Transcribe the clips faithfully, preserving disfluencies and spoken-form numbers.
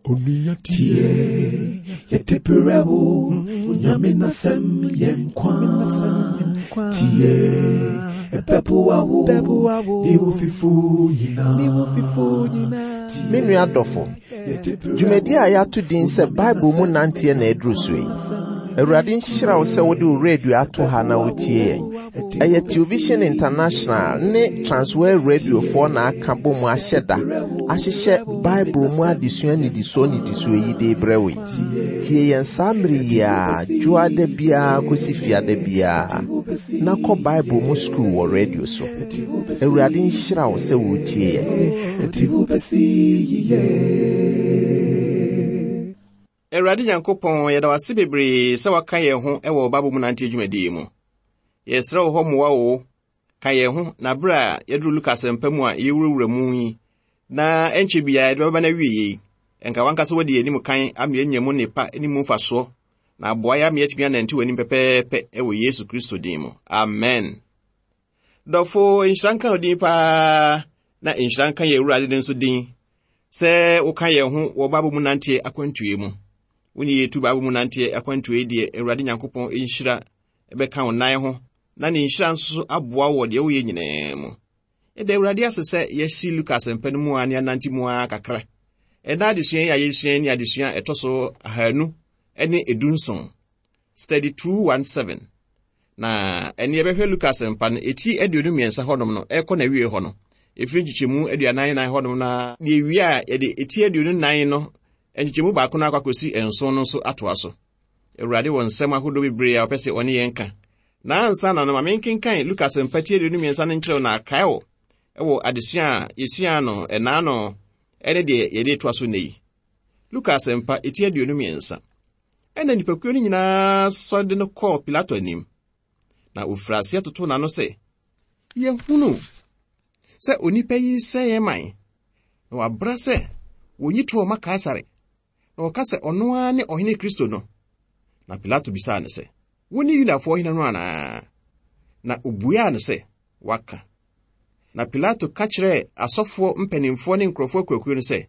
Onua tie, yɛde brɛ wo, Onyame n'asɛm yɛ nkwa. Tie, ɛbɛboa wo, ne wo fifo nyinaa. Me nua dɔfo, dwumadi a yɛato din sɛ Bible mu nanteɛ na ɛduru so yi. Awurade nhyira wo sɛ wode wo radio ato ha na wotie yɛn. Ɛyɛ Television International ne Transworld Radiofoɔ na aka bɔ mu ahyɛ da ahyehyɛ Bible mu adesua nnidisoɔ nnidisoɔ yi de brɛ wo yi. Tie yɛn saa mmere yi a dwoada biara kɔsi fiada biara na kɔ Bible mu sukuu wɔ radio so. Awurade nhyira wo sɛ wotie yɛn. Ɛde wo bɛsi yiye. Awurade Nyankopɔn, yɛda wo ase bebree sɛ waka yɛn ho wɔ Bible mu nante dwumadie yi mu. Yɛsrɛ wo hɔ mmoa wo, ka yɛn ho na bere a yɛduru Luka asɛmpa mu a yɛwurawura mu yi, na ɛnkyɛ biara yɛde bɛba no awie yi, ɛnka wankasa wadi yɛn anim kan ama yɛanya mu nnepa ne mu mfasoɔ, na aboa yɛ ama yɛatumi anante w'anim pɛpɛɛpɛ wɔ Yesu Kristo din mu. Amen. Dɔfo, nhyira nka wo din paa, na nhyira nka yɛn Awurade no nso din, sɛ woka yɛn ho wɔ Bible mu nante akwantuo mu. Wo ne yɛtu Bible mu nanteɛ akwantuo yi deɛ, Awurade Nyankopɔn nhyira ɛbɛka wo nan ho, na ne nhyira nso aboa wɔ deɛ woyɛ nyinaa mu. Yɛda Awurade ase sɛ yɛasi Luka asɛmpa no mu a ne anante mu a kakra. Ɛna adesua yi a yɛsua ne adesua a ɛtɔ so ahanu ne edu nson. Study two one seven. Na ɛne yɛbɛhwɛ Luka asɛmpa no, eti aduonu mmiɛnsa hɔnom no, ɛkɔ n'awie hɔ no, ɛfiri nkyekyɛmu aduanan nan hɔnom na deɛ wie a yɛde eti aduonu nan no, nkyekyɛmu baako no akɔ akɔsi nson no nso atoa so. Awurade wɔ nsɛm ahodoɔ bebree a ɔpɛ sɛ ɔne yɛn ka. Na ansa na no, ma menkenkan Luka asɛmpa ti aduonu mmiɛnsa no nkyerɛw na akae wo ɛwɔ adesua a yɛsua no ɛnaa no ɛne deɛ yɛde toa so nnɛ yi. Luka asɛmpa eti aduonu mmiɛnsa. Ɛna nnipakuo no nyinaa sɔre de no kɔɔ Pilato anim. Na ofiri aseɛ totoo n'ano sɛ, yɛhunu sɛ onipa yi sɛe yɛn man, na wabra sɛ wonyi toɔ ma Kaesare, na wɔka sɛ ɔno ara ne ɔhene Kristo no. Na Pilato bisaa no sɛ, wo ne Yudafoɔ hene no anaa? Na obuaa no sɛ, waka. Na Pilato ka kyerɛɛ asɔfoɔ mpanimfoɔ ne nkurɔfoɔ akuakuo no sɛ,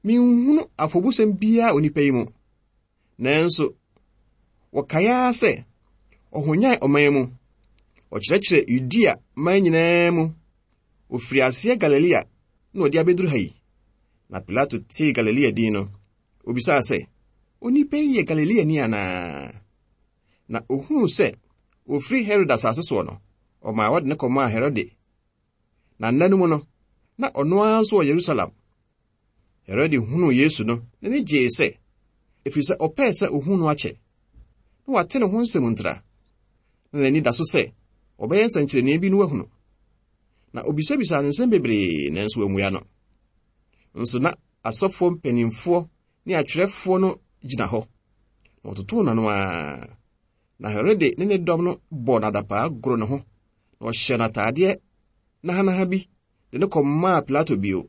menhunu afɔbusɛm biara onipa yi mu. Nanso, wɔkae ara sɛ, ɔhonyan ɔman mu, ɔkyerɛkyerɛ Yudea man nyinaa mu, ofiri aseɛ Galilea na ɔde abɛduru ha yi. Na Pilato tee Galilea din no, obisaa sɛ, onipa yi yɛ Galileani anaa? Na ohunuu sɛ ofiri Herode asase soɔ no, ɔmaa wɔde no kɔmaa Herode. Na nna no mu no, na ɔno ara nso wɔ Yerusalem. Herode hunuu Yesu no, n'ani gyee sɛ, ɛfiri sɛ ɔpɛɛ sɛ ohuu no akyɛ. Na wate ne ho nsɛm ntra. Na n'ani da so sɛ ɔbɛyɛ nsɛnkyerɛnneɛ bi no wahunu. Na obisabisaa no nsɛm bebree, nanso wammua no. Nso na asɔfoɔ mpanimfoɔ ne atwerɛfoɔ no gyina hɔ. Na wɔtotoo n'ano ara. Na Herode ne ne dɔm no bɔɔ no adapaa goro ne ho, na ɔhyɛɛ no ataadeɛ nahanaha bi de no kɔmaa Pilato bio.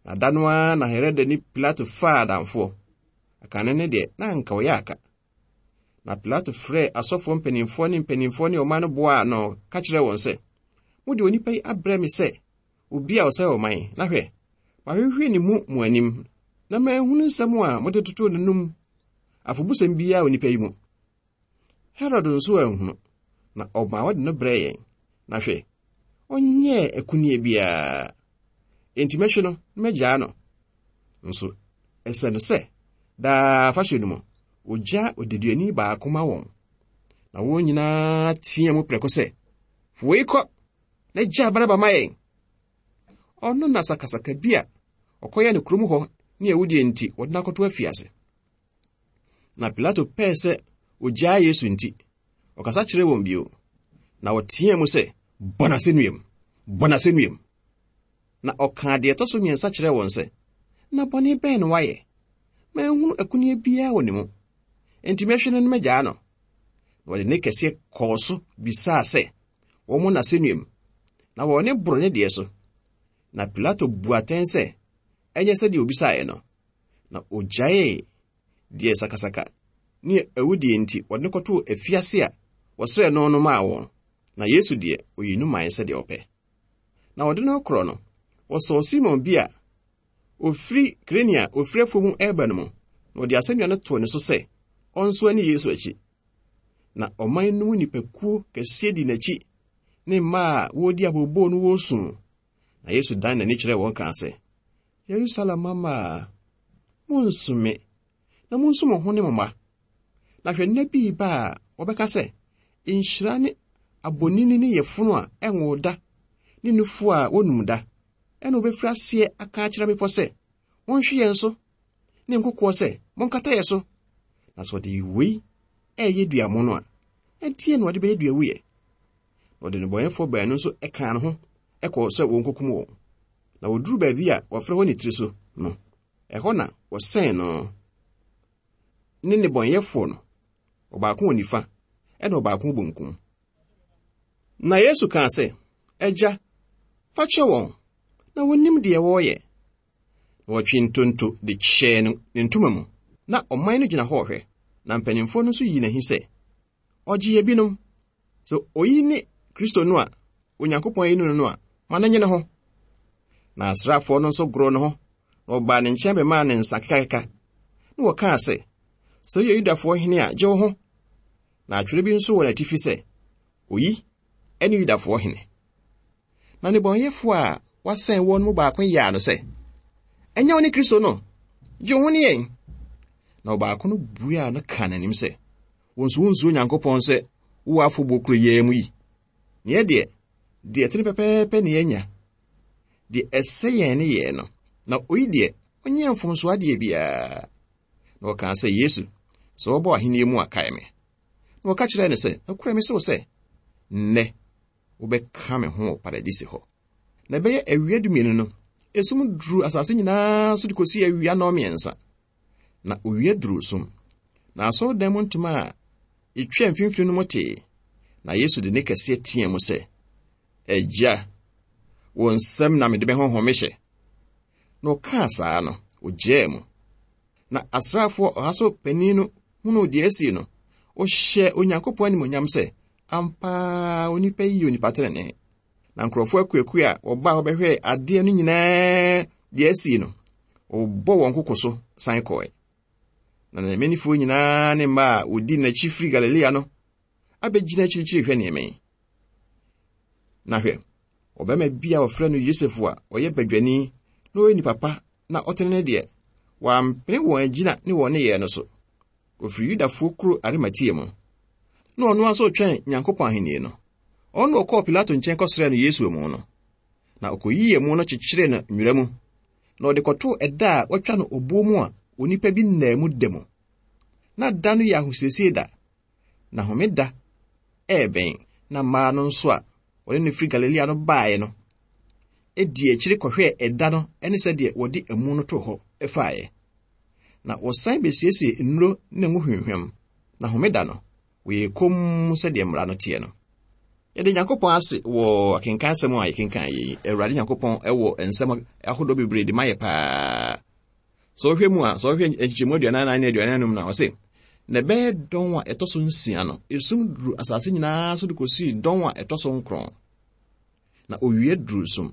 Na da no ara na Herode ne Pilato faa adamfoɔ. Akane ne deɛ, na anka ɔyɛ aka. Na Pilato frɛɛ asɔfoɔ mpanimfoɔ ne mpanimfoɔ ne ɔman no boaa no ka kyerɛɛ wɔn sɛ, mode onipa yi abrɛ me sɛ obi a ɔsɛe ɔman, na hwɛ, mahwehwɛ ne mu mo anim, na manhunu nsɛm a mode totoo n'anom afɔbusɛm biara onipa yi mu. Herode nso anhunu, na ɔmaa wɔde no brɛɛ yɛn. Na hwɛ, ɔnyɛɛ akunneɛ biara. Enti mɛhwɛ no na magyaa no. Nso ɛsɛ no sɛ daa afahyɛ no mu, ogya odeduani baako ma wɔn. Na wɔn nyinaa teɛ mu prɛko sɛ, fa wei kɔ na gyaa Baraba ma yɛn. Ɔno na sakasaka bi a ɔkɔyɛ no kurom hɔ ne awudie nti wɔde no akɔto afiase. Na Pilato pɛɛ sɛ ogyaa Yesu nti, ɔkasa kyerɛɛ wɔn bio. Na wɔteɛ mu sɛ, bɔ n'asɛnnuam, bɔ n'asɛnnuam. Na ɔkaa deɛ ɛtɔ so mmiɛnsa kyerɛɛ wɔn sɛ, na bɔne bɛn na wayɛ? Manhunu akunneɛ biara wɔ ne mu. Enti mɛhwɛ no na magyaa no. Na wɔde ne kɛseɛ kɔɔ so bisaa sɛ, wɔmmɔ n'asɛnnuam. Na wɔn ne boro ne deɛ so. Na Pilato bu atɛn sɛ, ɛnyɛ sɛdeɛ obisaeɛ no. Na ogyaee deɛ sakasaka ne awudie nti wɔde no kɔtoo afiase a wɔsrɛɛ no no maa wɔn. Na Yesu deɛ, oyii no mae sɛdeɛ ɔpɛ. Na wɔde no korɔ no, wɔsɔɔ Simon bi a Ofiri Kirene a ofiri afuom reba no mu, na ɔde asɛnnua no too ne so sɛ ɔnsoa ne Yesu akyi. Na ɔman no mu nnipakuo kɛseɛ di n'akyi ne mmaa a wɔredi abooboo no wɔresu. Na Yesu dan n'ani kyerɛɛ wɔn kaa sɛ, Yerusalem mmammaa, monnsu me, na monsu mo ho ne mo mma. Na hwɛ, nna bi reba a wɔbɛka sɛ, nhyira ne abonini ne yafunu a ɛnwo da ne nufu a wonum da. Ɛna wobɛfiri aseɛ aka akyerɛ mmepɔ sɛ, monhwe yɛn so, ne nkokoɔ sɛ, monkata yɛn so. Na sɛ ɔde wei ɛyɛ duamono a, ɛdeɛn na ɔde bɛyɛ duawuiɛ? Na ɔde nnebɔneyɛfoɔ baanu nso kaa ne ho ɛkɔɔ sɛ wɔnkokum wɔn. Na wɔduruu baabi a wɔfrɛ hɔ ne tiri so no, ɛhɔ na wɔsɛn no ne nnebɔneyɛfoɔ no, ɔbaako wɔ nifa ɛna ɔbaako wɔ benkum. Na Yesu kaa sɛ, Agya, fa kyɛ wɔn, na wɔnnim deɛ wɔreyɛ. Na wɔtwee ntonto de kyɛɛ ne ntoma mu. Na ɔman no gyina hɔ rehwɛ, na mpanimfoɔ no nso yii n'ahi sɛ, ɔgye ebinom. Sɛ oyi ne Kristo no a Onyankopɔn ayi no no a, ma no nye ne ho. Na asraafoɔ no nso goroo ne ho, na wɔbaa ne nkyɛn bɛmaa ne nsa kekakeka. Na wɔkaa sɛ, sɛ woyɛ Yudafoɔ hene a, gye wo ho. Na atwerɛ bi nso wɔ n'atifi sɛ, oyi ne Yudafoɔ hene. Na nnebɔneyɛfoɔ a wɔasɛn wɔn mu baako yaa no sɛ, ɛnyɛ wo ne Kristo no, gye wo ho ne yɛn. Na ɔbaako no buaa no kaa n'anim sɛ, wo nso wonsuro Onyankopɔn sɛ wowɔ afɔbuo koro yi mu yi. Neɛ deɛ, deɛ ɛtene pɛpɛɛpɛ ne yɛanya. Deɛ ɛsɛ yɛn ne yɛn no, na oyi deɛ, ɔnyɛ mfomso adeɛ biara. Na ɔkaa sɛ, Yesu, sɛ wɔbɔ ahenni mu a, kae me. Na wɔka kyerɛɛ no sɛ, nokorɛ me sɛ wo sɛ, nnɛ wobɛka me ho wɔ paradise hɔ. Na ɛbɛyɛ awia dumienu no, esum duruu asase nyinaa so de kɔsii awia nnɔnmiɛnsa. Na owia duruu sum. Na asɔredan mu ntoma a etwa mfimfini no mu tee. Na Yesu de ne kɛseɛ teɛ mu sɛ, Agya, wo nsam na mede me honhom mehyɛ. Na ɔkaa saa no, ogyaa mu. Na asraafoɔ ɔha so panin no hunuu deɛ asi no, ɔhyɛɛ Onyankopɔn animuonyam sɛ, ampa onipa yi yɛ onipa tenenee. Na nkurɔfoɔ akuakuo a wɔbaa hɔ bɛhwɛɛ adeɛ no nyinaa deɛ asi no, wɔbɔ wɔn koko so san kɔe. Na n'amanifoɔ nyinaa ne mmaa a wɔdi n'akyi firi Galilea no abɛgyina akyirikyiri hwɛ nneɛma yi. Na hwɛ, ɔbarima bi a wɔfrɛ no Yosef a ɔyɛ badwani na ɔyɛ nipa pa na ɔtene ne deɛ, wampene wɔn agyina ne wɔn nneyɛɛ no so. Ofiri Yudafoɔ kuro Arimatea mu. Na ɔno nso retwɛn Nyankopɔn ahenni no. Ɔno na ɔkɔɔ Pilato nkyɛn kɔsrɛɛ no Yesu amu no. Na ɔkɔyii amu no kyekyeree no nwera mu. Na ɔde kɔtoo ɛda a wɔatwa no obuo mu a onipa bi nnaa mu da mu. Na da no yɛ ahosiesie da. Na homeda ɛrebɛn. Na mmaa no nso a wɔne no firi Galilea no baeɛ no, edi akyiri kɔhwɛɛ ɛda no ne sɛdeɛ wɔde amu no too hɔ faeɛ. Na wɔsan besiesie nnuro ne ngo hwamhwam. Na homeda no, wɔyɛɛ komm sɛdeɛ mmara no teɛ no. Yɛde Nyankopɔn ase wɔ akenkan asɛm a yɛkenkan yi. Awurade Nyankopɔn wɔ nsɛm ahodoɔ bebree de ma yɛ paa. Sɛ wohwɛ mu a, sɛ wohwɛ nkyekyɛmu aduanan nan ne aduanan anum na ɔse, na ɛbɛyɛ dɔn a ɛtɔ so nsia no, esum duru asase nyinaa so de kɔsii dɔn a ɛtɔ so nkron. Na owia duru sum.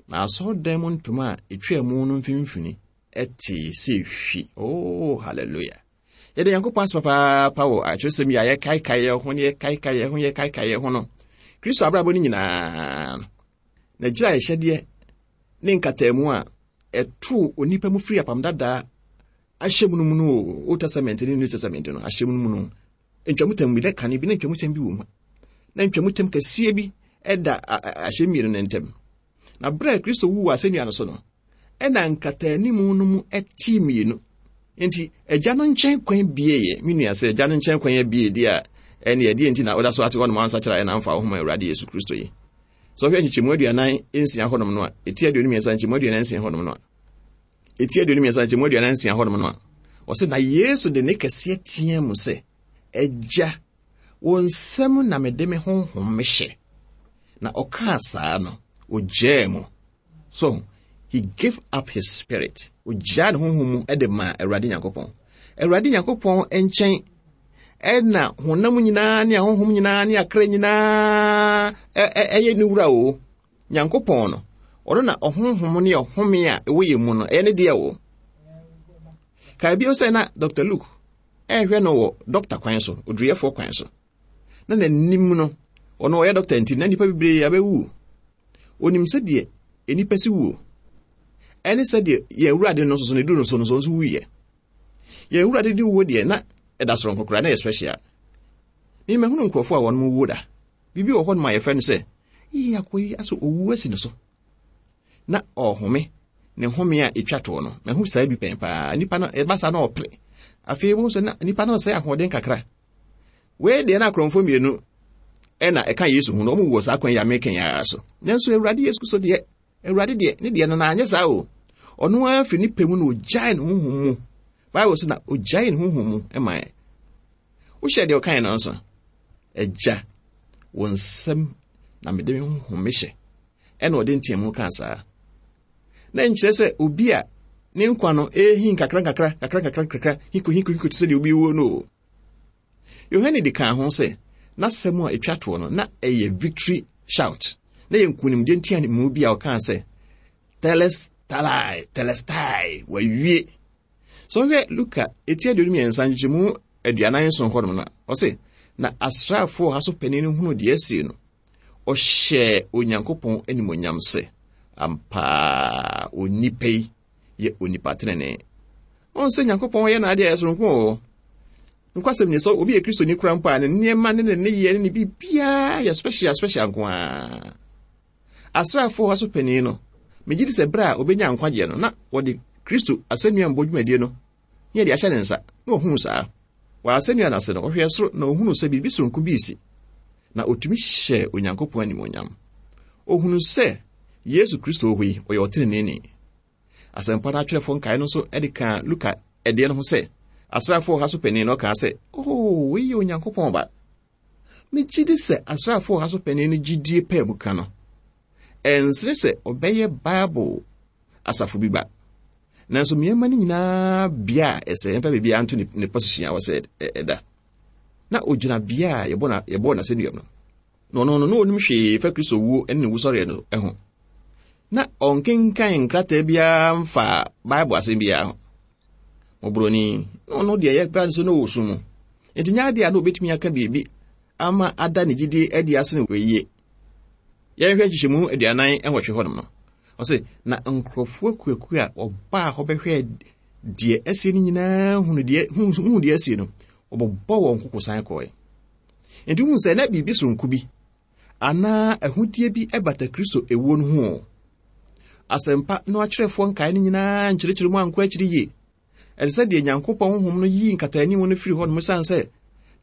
Na asɔredan mu ntoma a etwaa mu no mfimfini ɛtee sɛ hwi. Oh, hallelujah. Yɛde Nyankopɔn ase papaapa wɔ atwerɛsɛm yi a yɛkaekae yɛn ho ne yɛkaekae yɛn ho yɛkaekae yɛn ho no. Kristo abrabɔ no nyinaa no, n'agyiraehyɛdeɛ ne nkataamu a ɛtoo onipa mu firi apam dadaa ahyɛ mu no mu no o, Old Testament ne New Testament no ahyɛ mu no mu no, ntwamutam bi na kane bi na ntwamutam bi wɔ mu. Na ntwamutam kɛseɛ bi ɛda ahyɛ mmienu no ntam. Na berɛ a Kristo wuu wɔ asɛnnua no so no, ɛna nkataanimu no mu ɛtee mmienu. Nti agya no nkyɛn kwan bieeɛ. Me nua sɛ agya no nkyɛn kwan abie deɛ a, ɛne ɛdeɛ nti na ɔda so ate hɔnom ansakyera ɛna amfa wo ho ma Awurade Yesu Kristo yi. Sɛ ɔhwɛ nkyekyɛmu aduanan nsia hɔnom no a, ɛti aduonu mmiɛnsa nkyɛmu aduanan nsia hɔnom no a, ɛti aduonu mmiɛnsa nkyɛmu aduanan nsia hɔnom no a, ɔsɛ na Yesu de ne kɛseɛ teɛ mu sɛ, Agya, wo nsam na mede me honhom mehyɛ. Na ɔkaa saa no, ogyaa mu. So, he gave up his spirit. Ogyaa ne honhom mu de maa Awurade Nyankopɔn. Awurade Nyankopɔn nkyɛn ɛna honam nyinaa ne ahonhom nyinaa ne akra nyinaa ɛyɛ ne wura o. Nyankopɔn no, Ɔno na ɔhonhom ne ɔhome a ɛwɔ yɛn mu no, ɛyɛ ne deɛ o. Kae bio sɛ na Doctor Luke ɛrehwɛ no wɔ dɔkta kwan so, oduruyɛfoɔ kwan so. Na n'anim no, ɔno ɔyɛ dɔkta nti, na nnipa bebree abɛwu. Onim sɛdeɛ nnipa si wuo. Ɛne sɛdeɛ yɛn Awurade no nso so ne duru no so no nso nso wuyɛ. Yɛn Awurade de wuo deɛ, na ɛda soronko koraa, na ɛyɛ special. Memahunu nkurɔfoɔ a wɔn mu wuo da. Biribi wɔ hɔ nom a yɛfrɛ no sɛ, yii akɔ yi asɛ owu asi ne so. Na ɔhome, ne home a ɛtwa toɔ no, mahu saa bi pɛn paa. Nnipa no, ɛba saa na ɔpere. Afei, wohu sɛ na nnipa no sɛ ahoɔden kakra. Wei deɛ na akorɔmfoɔ mmienu ɛna ɛka Yesu ho no, ɔmo wɔ saa kwan yi a meka yi ara so. Nanso Awurade Yesu Kristo deɛ, Awurade deɛ, ne deɛ no na anyɛ saa o. Ɔno ara firi ne pɛ mu na ogyae ne honhom mu. Bible sɛ na ogyae ne honhom mu ɛma yɛn. Wohyɛ deɛ ɔkae no nso, Agya, wo nsam na mede me honhom mehyɛ. Ɛna ɔde nteamu kaa saa. Na nkyerɛ sɛ obi a ne nkwa no ɛrehi nkakra nkakra, kakra nkakra nkakra, hiko hiko hiko te sɛ deɛ obi wuo no o. Yohane de kaa ho sɛ, n'asɛm a ɛtwa toɔ no, na ɛyɛ victory shout. Na yɛ nkonimdie nteamu bi a ɔkaa sɛ, Telestalai, telestai, wawie. Sɛ wohwɛ Luka eti aduonu mmiɛnsa nkyekyɛmu aduanan nson hɔnom no a, ɔse, na asraafoɔ ha so panin no hunu deɛ asie no, ɔhyɛɛ Onyankopɔn animuonyam sɛ, ampaa onipa yi yɛ onipa tenenee. Ɔn sɛ Nyankopɔn yɛ n'adeɛ a ɛyɛ soronko o. Nokwasɛm ni sɛ obi yɛ Kristoni kora mpo a, ne nneɛma ne ne nneyɛɛ ne ne biribiara yɛ special special nko ara. Asraafoɔ ha so panin no, megye di sɛ berɛ a obɛnya nkwagyeɛ no, na wɔde Kristo asɛnnua mbɔ dwumadie no, ne yɛde ahyɛ ne nsa, na ɔhuu saa. Wɔ asɛnnua no ase no, ɔhwɛɛ soro na ɔhunuu sɛ biribi soronko bi resi. Na ɔtumi hyɛɛ Onyankopɔn animuonyam. Ɔhunuu sɛ Yesu Kristo wɔ hɔ yi, ɔyɛ ɔteneneeni. Asɛmpa no atwerɛfoɔ nkae no nso de kaa Luka ɛdeɛ no ho sɛ, asraafoɔ ha so panin no ɔkaa sɛ, oh, wei yɛ Onyankopɔn ba. Megye di sɛ asraafoɔ ha so panin no gyidie pɛɛ mu ka no, ɛnsene sɛ ɔbɛyɛ Bible asafo bi ba. Nanso mmeɛma no nyinaa bea a ɛsɛ, yɛmfa biribiara nto ne, ne position a wɔsɛ ɛda. Na ogyina bea a yɛbɔ na, yɛbɔɔ n'asɛnnua no. Na ɔno no, na onim hwee fa Kristo wuo ne ne wusɔreɛ no ho. Na ɔnkenkan nkrataa biara mfa Bible asɛm biara ho. Mmɔborɔni, na ɔno deɛ yɛka no sɛ na ɔwɔ sum mu. Enti nyɛ adeɛ a na obɛtumi aka biribi ama ada ne gyidie adi asene wɔ yie. Yɛnhwɛ nkyekyɛmu aduanan nwɔtwe hɔnom no. Ɔse, na nkurɔfoɔ akuakuo a wɔbaa hɔ bɛhwɛɛ deɛ asie no nyinaa hunu deɛ, hunu deɛ asie no, wɔbɔbɔ wɔn koko san kɔe. Enti wohu sɛ na biribi soronko bi anaa ahudeɛ bi bata Kristo ewuo no ho o. Asɛmpa no atwerɛfoɔ nkae no nyinaa nkyerɛkyerɛ mu ankɔ akyiri yie. Ɛte sɛ deɛ Nyankopɔn honhom no yii nkataanim no firi hɔnom esiane sɛ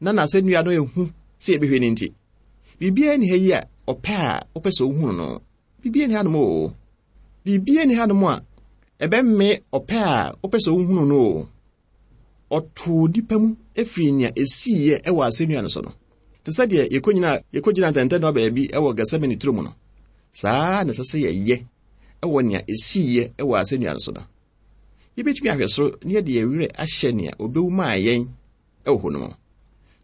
na n'asɛnnua no ehu sɛ yɛbɛhwɛ no nti. Biribiara nni ha yi a ɔpɛ a wopɛ sɛ wohunu no. Biribiara nni hanom o. Biribiara nni hanom a ɛbɛmme ɔpɛ a wopɛ sɛ wohunu no o. Ɔtoo nnipa mu efiri nea esiiɛ ɛwɔ asɛnnua no so no. Te sɛ deɛ yɛkɔgyina, yɛkɔgyina ntɛntɛnoa baabi ɛwɔ Gethsemane turo mu no. Saa na ɛsɛ sɛ yɛyɛ ɛwɔ nea esiiɛ ɛwɔ asɛnnua no so no. Yɛbɛtumi ahwɛ soro na yɛde yɛn werɛ ahyɛ nea obewu maa yɛn ɛwɔ hɔ no mu.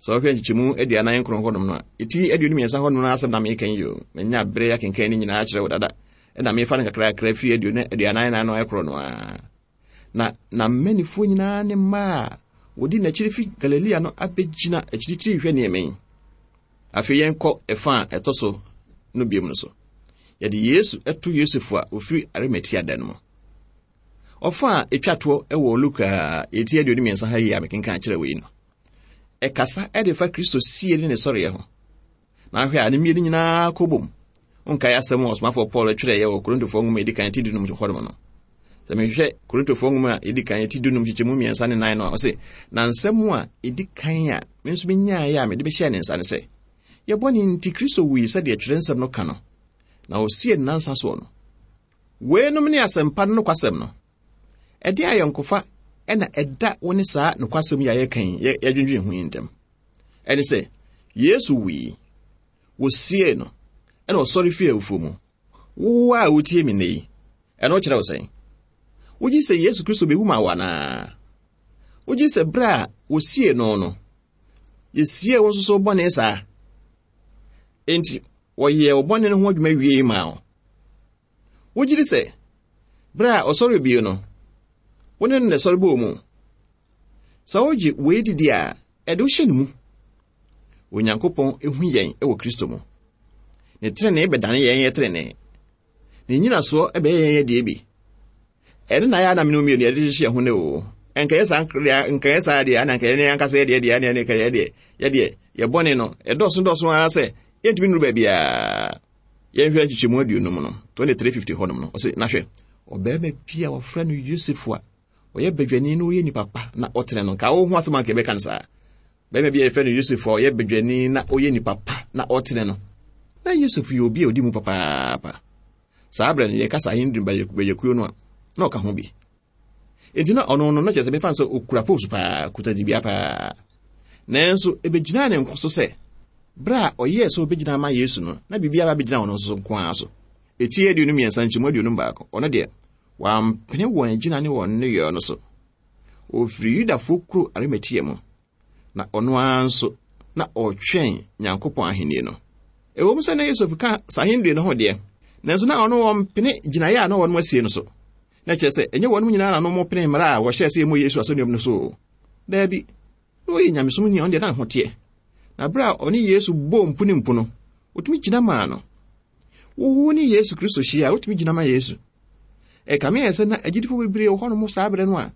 Sɛ wohwɛ nkyekyɛmu aduanan nkron hɔnom no a, ɛti aduonu mmiɛnsa hɔnom no asɛm na meka yi o. Manya berɛ akenkan ne nyinaa akyerɛ wo dada. Ɛna mefa no kakrakra firi aduonu aduanan nan no ɛkorɔ no ara. Na na mmanifoɔ nyinaa ne mmaa a wɔdi n'akyiri fi Galilea no abɛgyina akyirikyiri hwɛ nneɛma yi. Afei yɛnkɔ ɛfa a ɛtɔ so no biom no so. Yɛde Yesu ɛto Yosef a ofiri Arimatea da no mu. Ɔfa a ɛtwa toɔ ɛwɔ Luka ɛti aduonu mmiɛnsa ha yi a mekenkan kyerɛ wei no. Ɛkasa ɛde fa Kristo sie ne ne sɔreɛ ho. Na ahwɛ a ne mmienu nyinaa kɔ bom. Nkae asɛm a ɔsomafoɔ Paul twerɛeɛ wɔ Korintofoɔ nwoma a ɛdi kan ti dunum hɔnom no. Sɛ mehwehwɛ Korintofoɔ nwoma a ɛdi kan ti dunum nkyekyɛmu mmiɛnsa ne nan no a, ɔse, na nsɛm a ɛdi kan a me nso menyaeɛ a mede bɛhyɛɛ ne nsa ne sɛ, yɛbɔ ne nti Kristo wui sɛdeɛ twerɛ nsɛm no ka no, na ɔsie ne nansa soɔ no. Weinom ne asɛmpa no nokwasɛm no. Ɛde ayɔnkofa ɛna ɛda wo ne saa nokwasɛm yi a yɛka yi, yɛ-, yɛdwendwen ho yi ntam. Ɛne sɛ, Yesu wui, wɔsiee no, ɛna ɔsɔre fii awufoɔ mu. Wo a wotie me nnɛ yi, ɛno kyerɛ wo sɛn? Wogye sɛ Yesu Kristo bɛwu ma wo anaa? Wogye sɛ berɛ a wɔsiee no no, yɛsiee wo nso so bɔne saa? Enti, wɔyɛɛ wo bɔne no ho adwuma wie maa wo. Wogye di sɛ bere a ɔsɔre bio no, wo ne no na ɛsɔre bɔɔ mu? Sɛ wogye wei didi a, ɛde wo hyɛ ne mu. Onyankopɔn ehu yɛn wɔ Kristo mu. Ne trenee bɛdane yɛn yɛ trenee. Ne nnyinasoɔ bɛyɛ yɛn yɛ deɛ bi. Ɛno na ayɛ a na mene mmienu yɛde hyehyɛ ho ne o. Nkɛyɛ saa nkɛyɛ saa deɛ ana nkɛyɛ ne ankasa yɛ deɛ deɛ ana ne nkɛyɛ deɛ yɛ deɛ yɛ bɔne no ɛdɔɔso dɔɔso ara sɛ yɛntumi nnuru baabiara. Yɛnhwɛ nkyekyɛmu aduonum no twenty-three fifty hɔnom no ɔse na hwɛ ɔbarima bi a wɔfrɛ no Yosef a ɔyɛ badwani na ɔyɛ nipa pa na ɔtene no nka wo ho asɛm anka yɛbɛka no saa. Barima bi a yɛfrɛ no Yosef a ɔyɛ badwani na ɔyɛ nipa pa na ɔtene no. Na Yosef yɛ obi a ɔdi mu papaapa. Saa berɛ no yɛkasa ahenduru badwakuo no a na ɔka ho bi. Enti na ɔno no na kyerɛ sɛ mefa sɛ ɔkura post paa, kuta dibea paa. Nanso ɛbɛgyinaa ne nko so sɛ berɛ a ɔyɛɛ sɛ ɔbɛgyina ama Yesu no, na biribiara bɛgyina ɔno nso nko ara so. Eti aduonu mmiɛnsa nkyɛmu aduonum baako. Ɔno deɛ, wampene wɔn agyina ne wɔn nneyɔɛ no so. Ɔfiri Yudafoɔ kuro Arimatea mu. Na ɔno ara nso na ɔretwɛn Nyankopɔn ahenni no. Ɛwɔ mu sɛ na Yosef ka saa ahenni no ho deɛ, nanso na ɔno wɔmpene gyinaeɛ a na wɔn asie no so. Na kyerɛ sɛ ɛnyɛ wɔn nyinaa na wɔn pene mmara a wɔhyɛɛ sɛ ɛmmɔ Yesu asɛnnuam no so. Daabi, na ɔyɛ nyamesom ni a ɔno deɛ na ne ho teɛ. Na berɛ a ɔne Yesu bɔɔ mpu ne mpu no, ɔtumi gyina maa no. Wo ne Yesu Kristo hyia a, wotumi gyina ma Yesu. Ɛkame yɛ sɛ na agyidifoɔ bebree wɔ hɔnom saa berɛ no a,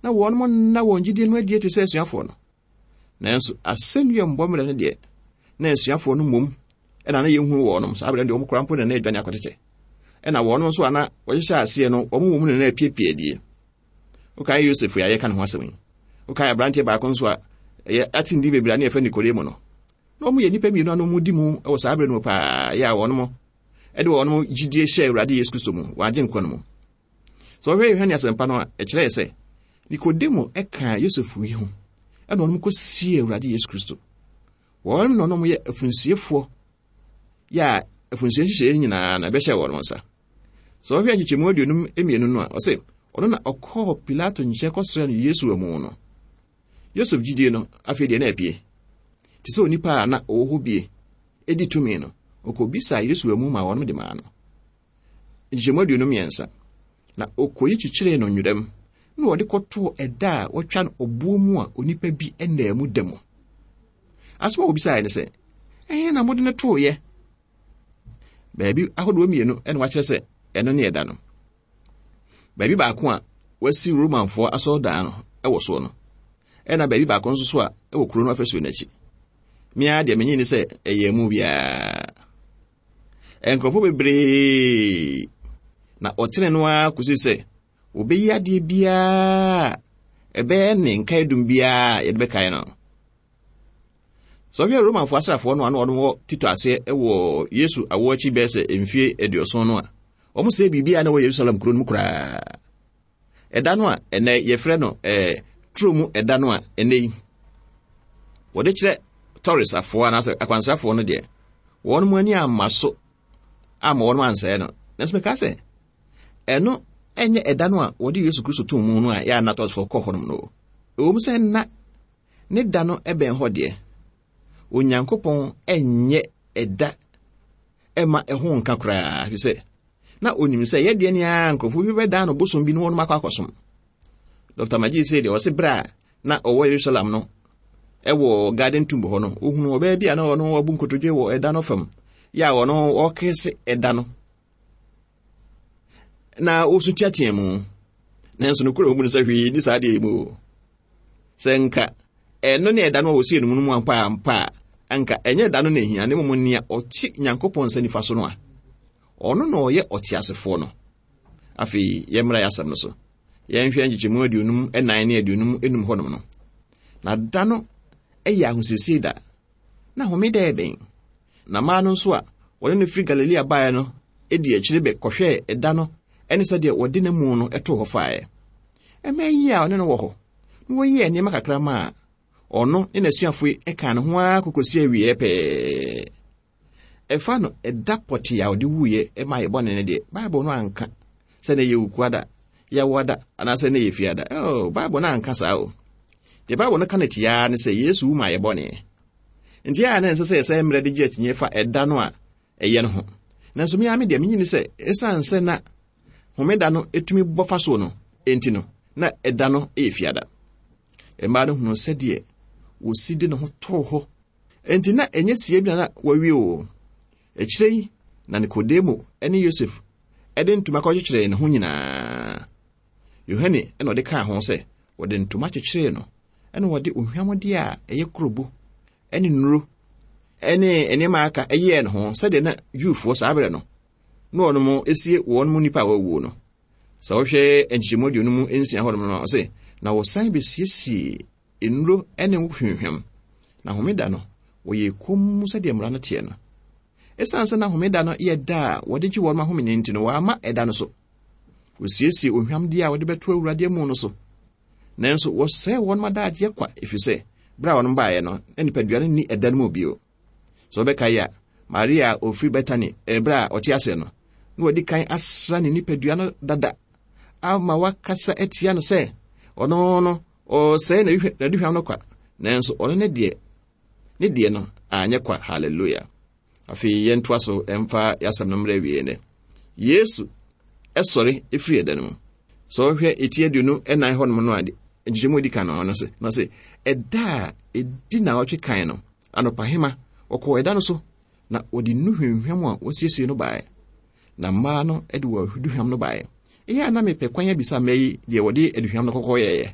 na wɔn nna wɔn gyidie no adie te sɛ asuafoɔ no. Nanso asɛnnua mbɔ mmerɛ no deɛ, na asuafoɔ no mmom ɛna na yɛnhunu wɔnom saa berɛ no deɛ wɔn kora mpo na na adwane akɔtetɛ. Ɛna wɔn nso a na wɔhyehyɛ aseɛ no, wɔn mmom na na apiepie adie. Wokae Yosef a yɛka ne ho asɛm yi. Wokae aberanteɛ baako nso a ɛyɛ atindi bebree a ne yɛfrɛ Nikodemo no. Na wɔn yɛ nnipa mmienu a na wɔn di mu wɔ saa berɛ no mu paa, yɛ a wɔn ɛde wɔn gyidie hyɛ Awurade Yesu Kristo mu, wɔn agye nkwa no mu. Sɛ wɔhwɛ Yohane asɛmpa no a, ɛkyerɛ sɛ Nikodemo ɛka Yosef yi ho, ɛna wɔn kɔsie Awurade Yesu Kristo. Wɔn na wɔn yɛ afunsiefoɔ, yɛ a afunsie nhyehyɛeɛ nyinaa na ɛbɛhyɛ wɔn nsa. Sɛ wɔhwɛ nkyekyɛmu aduonum mmienu no a, ɔse ɔno na ɔkɔɔ Pilato nkyɛn kɔsrɛ no Yesu amu no. Yosef gyidie no afei deɛ na apie. Te sɛ onipa a na ɔwɔ hɔ bie edi tumi no, ɔkɔbisa Yesu amu ma wɔn de maa no. Nkyekyɛmu aduonum mmiɛnsa. Na ɔkɔyi kyekyeree no nwerɛm, na wɔde kɔtoo ɛda a wɔtwa no ɔboɔ mu a onipa bi ɛnaa mu da mu. Asɛm a wɔbisaeɛ ne sɛ, ɛhe na mode no tooeɛ? Baabi ahodoɔ mmienu ɛna wakyerɛ sɛ ɛno ne ɛda no. Baabi baako a wɔasi Romanfoɔ asɔredan no ɛwɔ soɔ no, ɛna baabi baako nso so a ɛwɔ kuro no afasuo n'akyi. Mmea deɛ menyi ne sɛ ɛyɛ mu biara. Nkurɔfoɔ bebree na ɔtene no ara kɔsi sɛ wɔbɛyi adeɛ biara ɛbɛyɛ ne nkaedum biara yɛde bɛkae no. Sɛ ɔhwɛ Romanfoɔ asraafoɔ no a na wɔn wɔ Tito aseɛ wɔ Yesu awoɔ akyi bɛyɛ sɛ mfie aduɔson no a, wɔn sɛ biribiara na ɛwɔ Yerusalem kuro no mu koraa. Ɛda no a ɛnɛ yɛfrɛ no ɛɛ turo mu ɛda no a ɛnɛ yi wɔde kyerɛ Torres afoɔ anaasɛ akwansrafoɔ no deɛ, wɔn mu ani amma so amma wɔn ansɛe no. Nanso meka sɛ ɛno ɛnyɛ ɛda no a wɔde Yesu Kristo too mu no a yɛ a na Torresfoɔ kɔ hɔnom no. Ɛwɔ mu sɛ nna ne da no ɛbɛn hɔ deɛ, Onyankopɔn ɛnyɛ ɛda ɛma ɛho nka koraa, ɛfiri sɛ na onim sɛ yɛdeɛ ne ara nkurɔfoɔ bi bɛdan no bosom bi ne wɔn akɔ akɔsom. Doctor Magee sɛ deɛ ɔse berɛ a na ɔwɔ Yerusalem no ɛwɔ Garden Tomb hɔ no, ohunu ɔbaa bi a na ɔno wabu nkotodwe wɔ ɛda no fam, yɛ a ɔno ɔkese ɛda no na ɔsu teatea mu. Nanso no kura mu no sɛ hwee ni saa deɛ mu. Sɛ nka ɛno ne ɛda no a wɔsie no mu no mu ampa ampa a, anka ɛnyɛ ɛda no na ehia, na mmom nea ɔte Nyankopɔn nsa nifa so no a, ɔno na ɔyɛ ɔteasefoɔ no. Afei yɛmmra yɛ asɛm no so. Yɛnhwɛ nkyekyɛmu aduonum ɛnan ne aduonum enum hɔnom no. Na da no ɛyɛ ahosiesie da, na homeda ɛbɛn. Na mmaa no nso a wɔne no firi Galilea baeɛ no edi akyire bɛ kɔhwɛɛ ɛda no ɛne sɛdeɛ wɔde n'amu no ɛtoo hɔ faeɛ. Mmaa yi a ɔne no wɔ hɔ na wɔyɛɛ nneɛma kakra maa ɔno ne n'asuafoɔ yi ɛkaa ne ho ara kɔkɔsi awieeɛ pɛɛ. Ɛfa no ɛda pɔtee a ɔde wuiɛ ɛma yɛ bɔne no deɛ, Bible no anka sɛ na ɛyɛ Wukuada, Yawoada, anaasɛ na ɛyɛ Fiada. Oh, Bible no anka saa o. Deɛ Bible no ka no tiaa ne sɛ Yesu wu maa yɛ bɔne. Nti a na ɛnsɛ sɛ yɛsɛ mmerɛ de gye akyinnye fa ɛda no a ɛyɛ no ho. Nanso me ara me deɛ menyi ne sɛ ɛsiane sɛ na Homeda no etumi bɔ fa so no, enti no, na ɛda no yɛ fiada. Mmaa no hunu sɛdeɛ wɔsi de ne ho too hɔ. Enti na ɛnyɛ sie bi na na wɔawie o. Akyire yi, na Nikodemo ne Yosef de ntoma kɔkyekyeree ne ho nyinaa. Yohane na ɔde kaa ho sɛ wɔde ntoma kyekyeree no, ɛna wɔde ohwamdeɛ a ɛyɛ kurobo ne nnuro ne nneɛma aka ɛyɛɛ ne ho sɛdeɛ na Jewfoɔ saa berɛ no na wɔnom esie wɔn mu nipa a wɔawuo no. Sɛ wohwɛ nkyekyɛmu aduonu mu nsia hɔnom no, ɔse na wɔsan besiesie nnuro ne ngo hwimhwam. Na homeda no, wɔyɛ komm sɛdeɛ mmara no teɛ no. Ɛsiane sɛ na homeda no yɛ da a wɔde gye wɔn ahome nti no, wɔama ɛda no so. Wɔsiesie ohwamdeɛ a wɔde bɛto Awurade amu no so. Nanso wɔsɛe wɔn adagyeɛ kwa, ɛfiri sɛ berɛ a wɔn baeɛ no, na nipadua no nni ɛda no mu bio. Sɛ wɔbɛkae a, Maria a ofiri Betani ɛberɛ a ɔte aseɛ no, na wɔdi kan asra ne nipadua no dada ama wakasa atia no sɛ ɔno no ɔsɛe n'aduhwam no kwa, nanso ɔno ne deɛ ne deɛ no anyɛ kwa. Hallelujah. Afei yɛntoa so ɛmfa yɛasɛm no mmerɛ awie nɛ. Yesu ɛsɔre ɛfiri ɛda no mu. Sɛ wohwɛ eti aduonu ɛnan hɔnom no ade nkyekyɛmu edi kan no ɔno sɛ na sɛ ɛda a ɛdi naawɔtwe kan no anɔpahema wɔkɔɔ ɛda no so na wɔde nnu hwamhwam a wɔsiesie no baeɛ. Na mmaa no de wɔn aduhwam no baeɛ. Ɛyɛ a na mepɛ kwan abisa mmaa yi deɛ wɔde aduhwam no kɔkɔ yɛeɛ.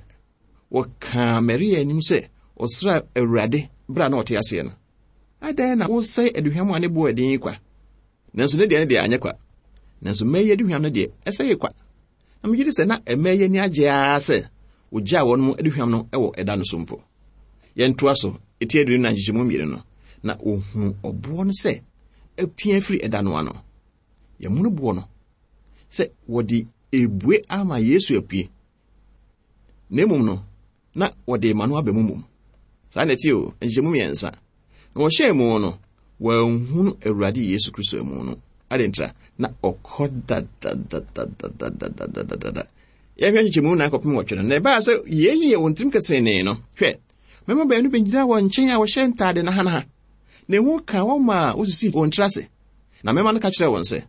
Wɔkaa Maria anim sɛ ɔsra Awurade berɛ a na ɔte aseɛ no. Adɛn na wosɛe aduhwam a ne boɔ ɛden yi kwa? Nanso ne deɛ ne deɛ anyɛ kwa. Nanso mmaa yi aduhwam no deɛ ɛsɛe kwa. Na megye di sɛ na mmaa yi ani agye ara sɛ wɔgyaa wɔn mu aduhwam no wɔ ɛda no so mpo. Yɛntoa so, eti aduonu na nkyekyɛmu mmienu no, na wɔhunu ɔboɔ no sɛ apia firi ɛda no ano. Yɛmunu boɔ no sɛ wɔde ebue ama Yesu apue. Na mmom no, na wɔde ma no aba mu mmom. Saa na ɛte o, nkyekyɛmu mmiɛnsa. Na wɔhyɛɛ mu no, wɔanhunu Awurade Yesu Kristo amu no. Adɛn ntira? Na ɔkɔ dadadadadadadadadada. Yɛhwɛ nkyekyɛmu nan kɔpem wɔtwe no, na ɛbaa sɛ yei yɛ wɔn tirim kɛsenenee no. Hwɛ, mmarima baanu bɛgyina wɔn nkyɛn a wɔhyɛ ntaade nahanaha. Na ehu ka wɔn ma wosisii wɔn tiri ase. Na mmarima no ka kyerɛɛ wɔn sɛ,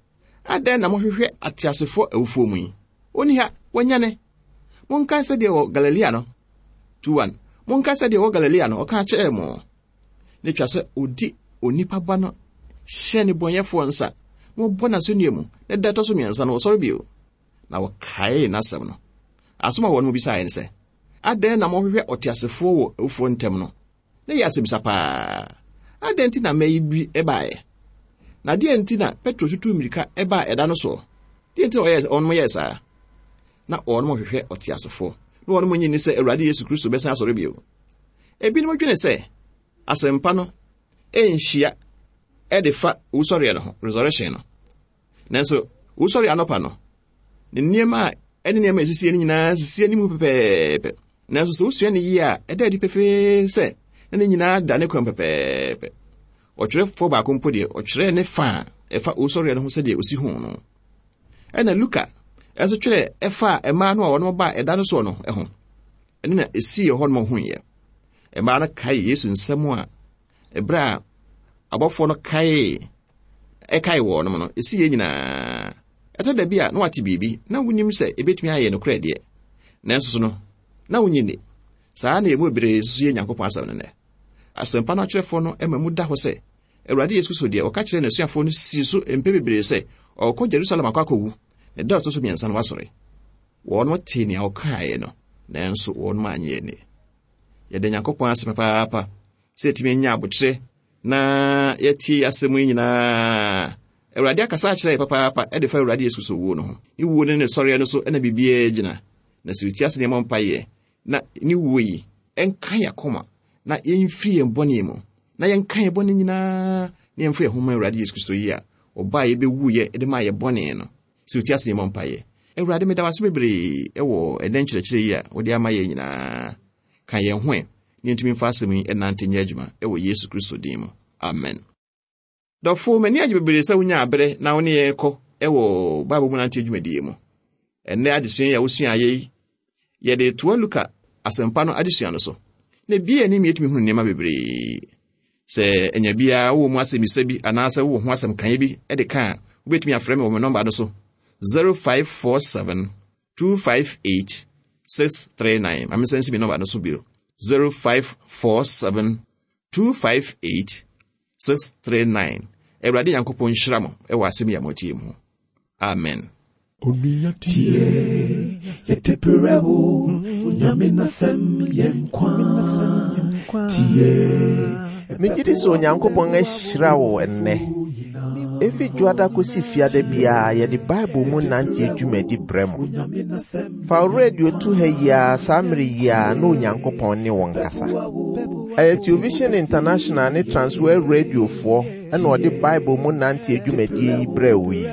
adɛn na mohwehwɛ ateasefoɔ awufoɔ mu yi? Onni ha, wanyane. Monkae sɛdeɛ wɔ Galilea no. Two one. Monkae sɛdeɛ wɔ Galilea no, ɔka kyerɛɛ mo. Na etwa sɛ odi onipa ba no hyɛ ne bɔnyɛfoɔ nsa, na wɔbɔ n'asɛnnua mu, na da ɛtɔ so mmiɛnsa no wɔsɔre bio. Na wɔkaee n'asɛm no. Asɛm a wɔn mu bisaeɛ ne sɛ, adɛn na mohwehwɛ ɔteasefoɔ wɔ awufoɔ ntam no? Na yɛ asɛmisa paa. Adɛn nti na mmaa yi bi baeɛ? Na deɛ nti na Petro tutuu mmirika baa ɛda no soɔ? Deɛ nti na ɔyɛɛ wɔn yɛɛ saa? Na wɔn hwehwɛ ɔteasefoɔ. Na wɔn nyi ni sɛ Awurade Yesu Kristo bɛsan asɔre bio. Ebinom dwene sɛ asɛmpa no ɛnhyia ɛde fa wusɔreɛ no ho, resurrection no. Nanso wusɔre anɔpa no, ne nneɛma a ɛne nneɛma a ɛsisie no nyinaa sisi anim pɛpɛɛpɛ. Nanso sɛ wosua ne yie a, ɛda adi pefee sɛ na ne nyinaa da ne kwan pɛpɛɛpɛ. Ɔtwerɛfoɔ baako mpo deɛ, ɔtwerɛɛ ne fa a ɛfa wusɔreɛ no ho sɛdeɛ osi ho no. Ɛna Luka nso twerɛ ɛfa a mmaa no a wɔn baa ɛda no soɔ no ho. Ɛno na esii hɔ nom huiɛ. Mmaa no kae Yesu nsɛm a ɛberɛ a abɔfoɔ no kae ɛkae wɔn nom no, esii yɛ nyinaa. Ɛtɔ da bi a na wate biribi na wonim sɛ ebetumi ayɛ nokorɛ deɛ. Nanso so no, na wonyi ni. Saa na emu bebree nso yɛ Nyankopɔn asɛm no nnɛ. Asɛmpa no atwerɛfoɔ no ma mu da hɔ sɛ Awurade Yesu Kristo deɛ ɔka kyerɛɛ n'asuafoɔ no sii so mpɛ bebree sɛ ɔrekɔ Jerusalem akɔ akɔwu, na da a ɔtɔ so mmiɛnsa no wasɔre. Wɔn tee nea ɔkaeɛ no, nanso wɔn anyɛ ani. Yɛda Nyankopɔn ase papaapa sɛ yɛtumi anya abokyerɛ na yɛtie asɛm yi nyinaa. Awurade akasa akyerɛ yɛ papaapa ɛde fa Awurade Yesu Kristo wuo no ho. Ne wuo ne ne sɔreɛ no so ɛna biribiara gyina. Na sɛ wotie ase nneɛma mpaeɛ na ne wuo yi ɛnka yɛn akoma na yɛmfiri yɛn bɔne mu na yɛnka yɛn bɔne nyinaa na yɛmfa yɛn ho ma Awurade Yesu Kristo yi a ɔbaa yɛbɛwuiɛ de maa yɛ bɔne no. Sɛ wotie ase nneɛma mpaeɛ. Awurade, meda wo ase bebree ɛwɔ ɛnɛ nkyerɛkyerɛ yi a wode ama yɛn nyinaa. Ka yɛn ho ɛ na yɛntumi mfa asɛm yi ɛnante nyɛ adwuma ɛwɔ Yesu Kristo din mu. Amen. Dɔfo, m'ani agye bebree sɛ wonya aberɛ na wo ne yɛn kɔ ɛwɔ Bible mu nante dwumadie mu. Ɛnnɛ adesua yi a wosua ayɛ yi, yɛde toa Luka asɛmpa no adesua no so. Na bia anim yɛtumi hunu nneɛma bebree. Sɛ ɛnya biara wowɔ mu asɛmmisa bi anaasɛ wowɔ ho asɛm kaeɛ bi de ka a, wobɛtumi afrɛ me wɔ me nɔmba no so zero five four seven two five eight six three nine. Ma mensan nsi me nɔmba no so bio. zero five four seven two five eight six three nine. Awurade Nyankopɔn nhyira mo wɔ asɛm yi a moatie mu. Amen. Onua tie, yɛde brɛ wo, Onyame n'asɛm yɛ nkwa. Tie. Megye di sɛ Onyankopɔn ahyira wo ɛnnɛ. Efi Dwoada kosi Fiada biara yɛde Bible mu nante dwumadi brɛ mo. Fa wo radio to ha yi ara saa mmere yi ara na Onyankopɔn ne wo nkasa. Ɛyɛ Television International ne Transworld Radiofoɔ ɛna ɔde Bible mu nante dwumadie yi brɛ wo yi.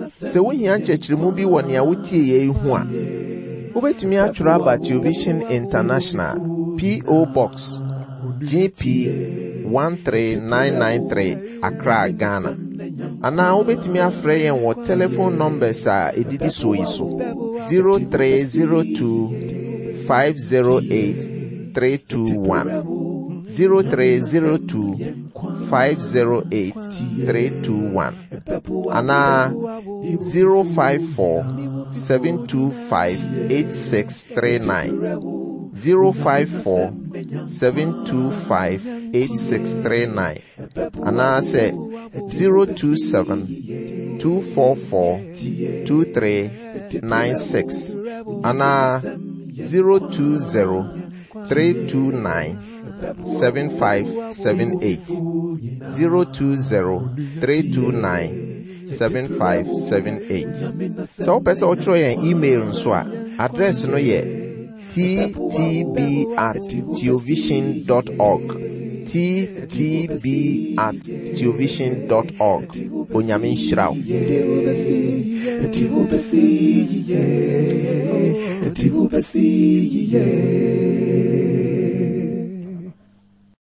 Sɛ wohia nkyerɛkyerɛmu bi wɔ nea wotie yɛ yi ho a, wobɛtumi atwerɛ aba Television International, P O. Box G P one three nine nine three, Accra, Ghana. Anaa wobɛtumi afrɛ yɛn wɔ telephone numbers a ɛdidi so yi so: zero three zero two five zero eight three two one, zero three zero two five zero eight three two one, anaa zero five four seven two five eight six three nine, zero five four seven two five eight six three nine, anaasɛ zero two seven two four four two three nine six, anaa zero two zero three two nine seven five seven eight, zero two zero three two nine seven five seven eight. Sɛ wopɛ sɛ wotwerɛ yɛn email nso a, address no yɛ T T B at theovision dot org, T T B at theovision dot org. Onyame nhyira wo. Yɛde wo bɛsi yie, yɛde wo bɛsi yie.